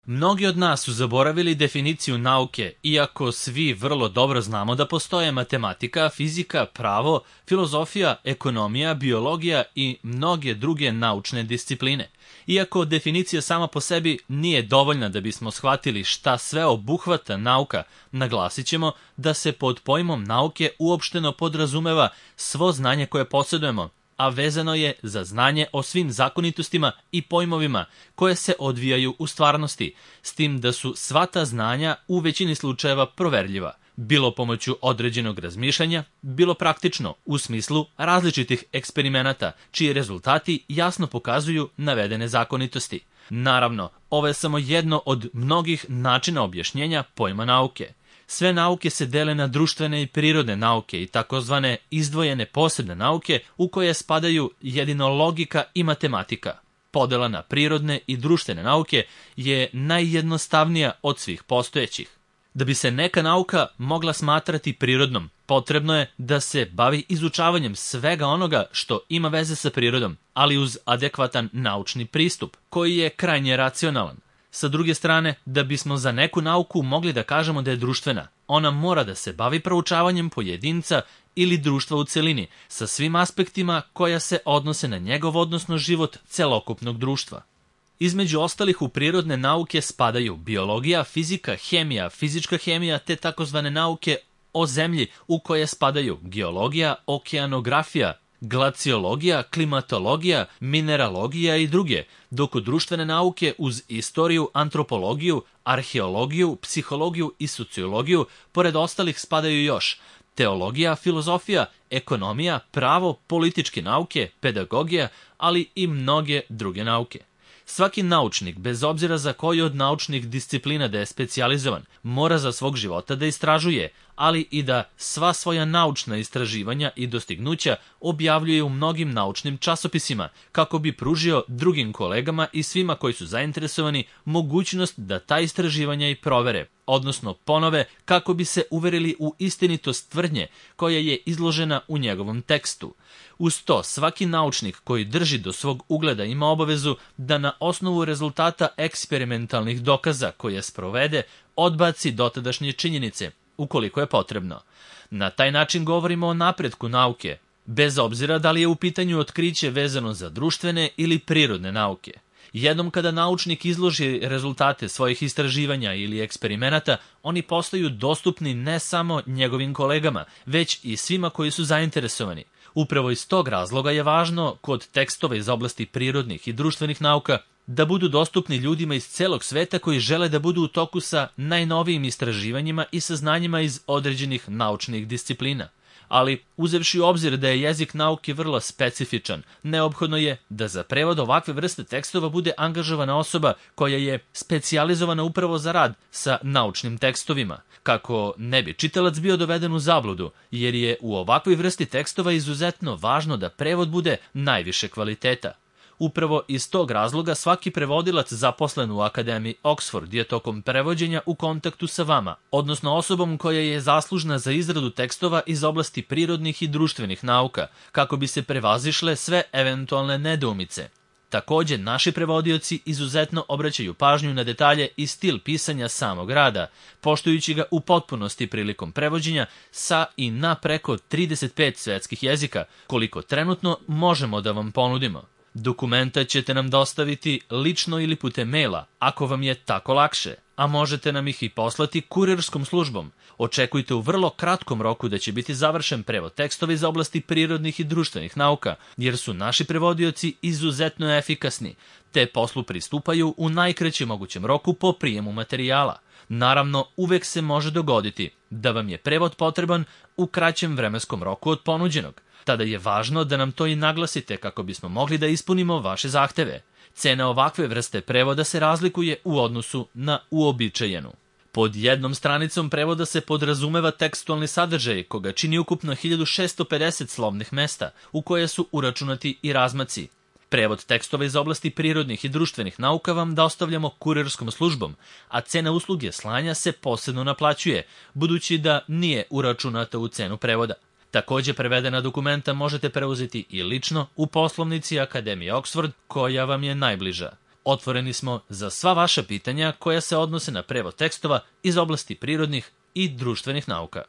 Mnogi od nas su zaboravili definiciju nauke, iako svi vrlo dobro znamo da postoje matematika, fizika, pravo, filozofija, ekonomija, biologija i mnoge druge naučne discipline. Iako definicija sama po sebi nije dovoljna da bismo shvatili šta sve obuhvata nauka, naglasit ćemo da se pod pojmom nauke uopšteno podrazumeva svo znanje koje posjedujemo, a vezano je za znanje o svim zakonitostima i pojmovima koje se odvijaju u stvarnosti, s tim da su sva ta znanja u većini slučajeva proverljiva, bilo pomoću određenog razmišljanja, bilo praktično u smislu različitih eksperimenata, čiji rezultati jasno pokazuju navedene zakonitosti. Naravno, ovo je samo jedno od mnogih načina objašnjenja pojma nauke. Sve nauke se dele na društvene i prirodne nauke i takozvane izdvojene posebne nauke u koje spadaju jedino logika i matematika. Podela na prirodne i društvene nauke je najjednostavnija od svih postojećih. Da bi se neka nauka mogla smatrati prirodnom, potrebno je da se bavi izučavanjem svega onoga što ima veze sa prirodom, ali uz adekvatan naučni pristup, koji je krajnje racionalan. Sa druge strane, da bismo za neku nauku mogli da kažemo da je društvena, ona mora da se bavi proučavanjem pojedinca ili društva u celini, sa svim aspektima koja se odnose na njegov odnosno život celokupnog društva. Između ostalih u prirodne nauke spadaju biologija, fizika, hemija, fizička hemija te takozvane nauke o zemlji u koje spadaju geologija, okeanografija, glaciologija, klimatologija, mineralogija i druge, dok u društvene nauke uz istoriju, antropologiju, arheologiju, psihologiju i sociologiju, pored ostalih spadaju još teologija, filozofija, ekonomija, pravo, političke nauke, pedagogija, ali i mnoge druge nauke. Svaki naučnik, bez obzira za koju od naučnih disciplina da je specijalizovan, mora za svog života da istražuje, ali i da sva svoja naučna istraživanja i dostignuća objavljuje u mnogim naučnim časopisima, kako bi pružio drugim kolegama i svima koji su zainteresovani mogućnost da ta istraživanja i provere, odnosno ponove, kako bi se uverili u istinitost tvrdnje koja je izložena u njegovom tekstu. Uz to, svaki naučnik koji drži do svog ugleda ima obavezu da na osnovu rezultata eksperimentalnih dokaza koje sprovede odbaci dotadašnje činjenice, ukoliko je potrebno. Na taj način govorimo o napretku nauke, bez obzira da li je u pitanju otkriće vezano za društvene ili prirodne nauke. Jednom kada naučnik izloži rezultate svojih istraživanja ili eksperimenata, oni postaju dostupni ne samo njegovim kolegama, već i svima koji su zainteresovani. Upravo iz tog razloga je važno, kod tekstova iz oblasti prirodnih i društvenih nauka, da budu dostupni ljudima iz celog sveta koji žele da budu u toku sa najnovijim istraživanjima i saznanjima iz određenih naučnih disciplina. Ali, uzevši u obzir da je jezik nauke vrlo specifičan, neophodno je da za prevod ovakve vrste tekstova bude angažovana osoba koja je specijalizovana upravo za rad sa naučnim tekstovima, kako ne bi čitalac bio doveden u zabludu, jer je u ovakvoj vrsti tekstova izuzetno važno da prevod bude najviše kvaliteta. Upravo iz tog razloga svaki prevodilac zaposlen u Akademiji Oxford je tokom prevođenja u kontaktu sa vama, odnosno osobom koja je zaslužna za izradu tekstova iz oblasti prirodnih i društvenih nauka, kako bi se prevazišle sve eventualne nedoumice. Takođe, naši prevodioci izuzetno obraćaju pažnju na detalje i stil pisanja samog rada, poštujući ga u potpunosti prilikom prevođenja sa i na preko 35 svetskih jezika, koliko trenutno možemo da vam ponudimo. Dokumenta ćete nam dostaviti lično ili putem maila, ako vam je tako lakše, a možete nam ih i poslati kurirskom službom. Očekujte u vrlo kratkom roku da će biti završen prevod tekstova iz oblasti prirodnih i društvenih nauka, jer su naši prevodioci izuzetno efikasni, te poslu pristupaju u najkraćem mogućem roku po prijemu materijala. Naravno, uvek se može dogoditi da vam je prevod potreban u kraćem vremenskom roku od ponuđenog. Tada je važno da nam to i naglasite kako bismo mogli da ispunimo vaše zahteve. Cena ovakve vrste prevoda se razlikuje u odnosu na uobičajenu. Pod jednom stranicom prevoda se podrazumeva tekstualni sadržaj, koga čini ukupno 1650 slovnih mesta, u koje su uračunati i razmaci. Prevod tekstova iz oblasti prirodnih i društvenih nauka vam dostavljamo kurirskom službom, a cena usluge slanja se posebno naplaćuje, budući da nije uračunata u cenu prevoda. Takođe, prevedena dokumenta možete preuzeti i lično u poslovnici Akademije Oxford, koja vam je najbliža. Otvoreni smo za sva vaša pitanja koja se odnose na prevod tekstova iz oblasti prirodnih i društvenih nauka.